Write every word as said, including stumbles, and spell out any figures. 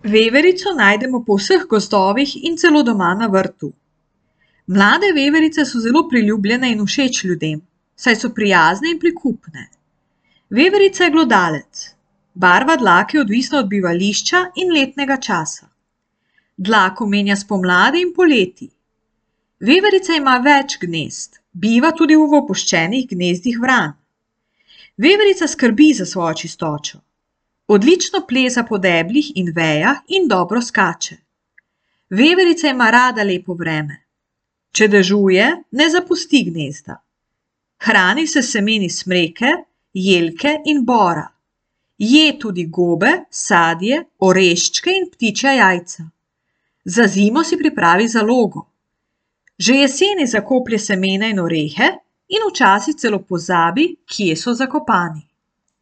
Veverico najdemo po vseh gozdovih in celo doma na vrtu. Mlade veverice so zelo priljubljene in všeč ljudem, saj so prijazne in prikupne. Veverica je glodalec. Barva dlake je odvisna od bivališča in letnega časa. Dlako menja spomladi in poleti. Veverica ima več gnezd, biva tudi v opuščenih gnezdih vran. Veverica skrbi za svojo čistočo. Odlično pleza po deblih in vejah in dobro skače. Veverica ima rada lepo vreme. Če dežuje, ne zapusti gnezda. Hrani se s semeni smreke, jelke in bora. Je tudi gobe, sadje, oreščke in ptičja jajca. Za zimo si pripravi zalogo. Že jeseni zakoplje semena in orehe in včasih celo pozabi, kje so zakopani.